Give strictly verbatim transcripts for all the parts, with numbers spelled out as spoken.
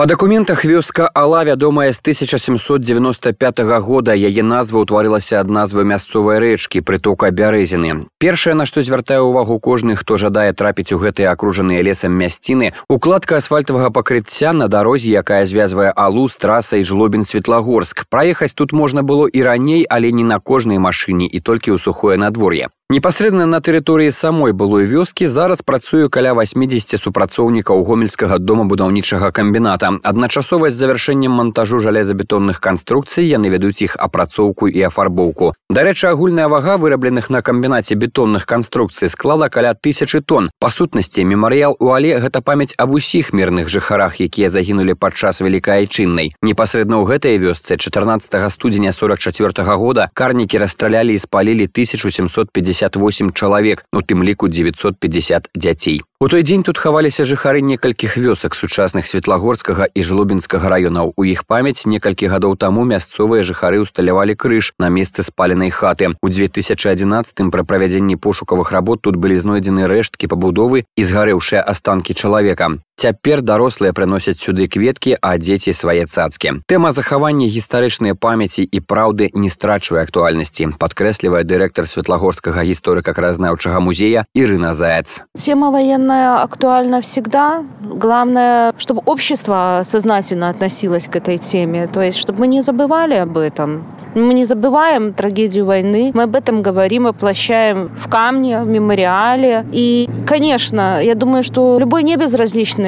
Па дакументах вёска Ала вядомая з тысяча сямсот дзевяноста пятага года. Яе назва ўтварылася ад назвы мясцовай рэчкі прытока Бярэзіны. Першае, на што звяртае ўвагу кожны, хто жадае трапіць у гэтыя акружаныя лесам мясціны, укладка асфальтавага пакрыцця на дарозе, якая звязвае Алу з трасай Жлобін-Светлагорск. Праехаць тут можна было і раней, але не на кожнай машыне і толькі ў сухое надвор'е. Непасрэдна на тэрыторыі самой былой вёскі зараз працуе каля васьмідзесяці супрацоўнікаў гомельскага домабудаўнічага камбіната. Адначасова з завяршэннем мантажу жалезабетонных канструкцый яны вядуць іх апрацоўку і афарбоўку. Дарэчы, агульная вага вырабленых на камбінаце бетонных канструкцый склала каля тысячы тонн. Па сутнасці, мемарыял у Але – гэта памяць аб усіх мірных жыхарах, якія загінулі падчас Вялікай Айчыннай. Непасрэдна ў гэтай вёсцы чатырнаццатага студзеня сорак чацвёртага года карнікі расстралялі і спалілі тысячу сямсот пятьдесят восемь чалавек, у тым ліку дзевяцьсот пятьдесят дзяцей. У той дзень тут хаваліся жыхары некалькіх вёсак сучасных Светлагорскага і Жлобінскага раёнаў. У іх памяць некалькі гадоў таму мясцовыя жыхары ўсталявалі крыж на месцы спаленай хаты. У дзве тысячы адзінаццатым пры правядзенні пошукавых работ тут былі знойдзены рэшткі пабудовы і згарэўшыя астанкі чалавека. Цяпер дарослыя прыносяць сюды кветкі, а дзеці свае цацкі. Тэма захавання гістарычнай памяці і праўды не страчвае актуальнасці, падкрэслівае дырэктар Светлагорскага гісторыка-краязнаўчага музея Ирина Заяц. Тема военная актуальна всегда. Главное, чтобы общество сознательно относилось к этой теме, то есть, чтобы мы не забывали об этом. Мы не забываем трагедию войны, мы об этом говорим, воплощаем в камне, в мемориале. И, конечно, я думаю, что любой небезразличный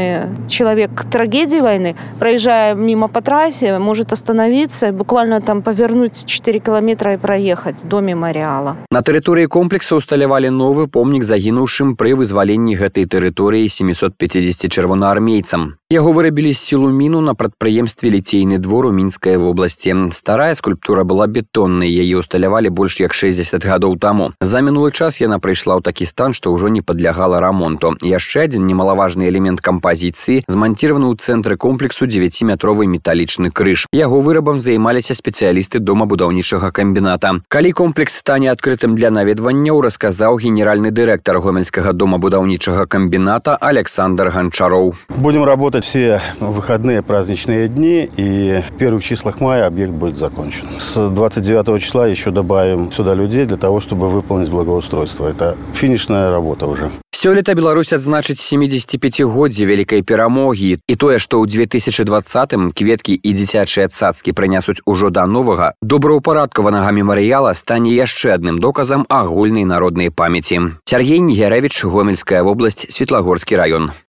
человек к трагедии войны, проезжая мимо по трассе, может остановиться, буквально там повернуть четыре километра и проехать до мемориала. На тэрыторыі комплекса ўсталявалі новы помнік загінуўшым пры вызваленні гэтай тэрыторыі семісот пяцідзесяці чырвонаармейцам. Яго вырабілі з сілуміну на прадпрыемстве Ліцейны двор у Мінскай вобласці. Старая скульптура была бетоннай, яе ўсталявалі больш як шэсцьдзесят гадоў таму. За мінулы час яна прыйшла ў такі стан, што ўжо не падлягала рамонту. Яшчэ адзін немалаважны элемент кампазіцыі зманціраваны ў цэнтры комплексу дзевяціметровы металічны крыж. Яго вырабам займаліся спецыялісты домабудаўнічага камбіната. Калі комплекс стане адкрытым для наведванняў, расказаў генеральны дырэктар гомельскага домабудаўнічага камбіната Александр Гончаров. Будем работать все выходные праздничные дни, и в первых числах мая объект будет закончен. С двадцать девятого числа еще добавим сюда людей для того, чтобы выполнить благоустройство. Это финишная работа уже. Сёлета Беларусь адзначыць семідзесяціпяцігоддзе вялікай перамогі, і тое, што ў дзве тысячы дваццатым кветкі і дзіцячыя цацкі прынясуць ужо да новага, добраўпарадкаванага мемарыяла стане яшчэ адным доказам агульнай народнай памяці. Сяргей Нігярэвіч, Гомельская вобласць, Светлагорскі раён.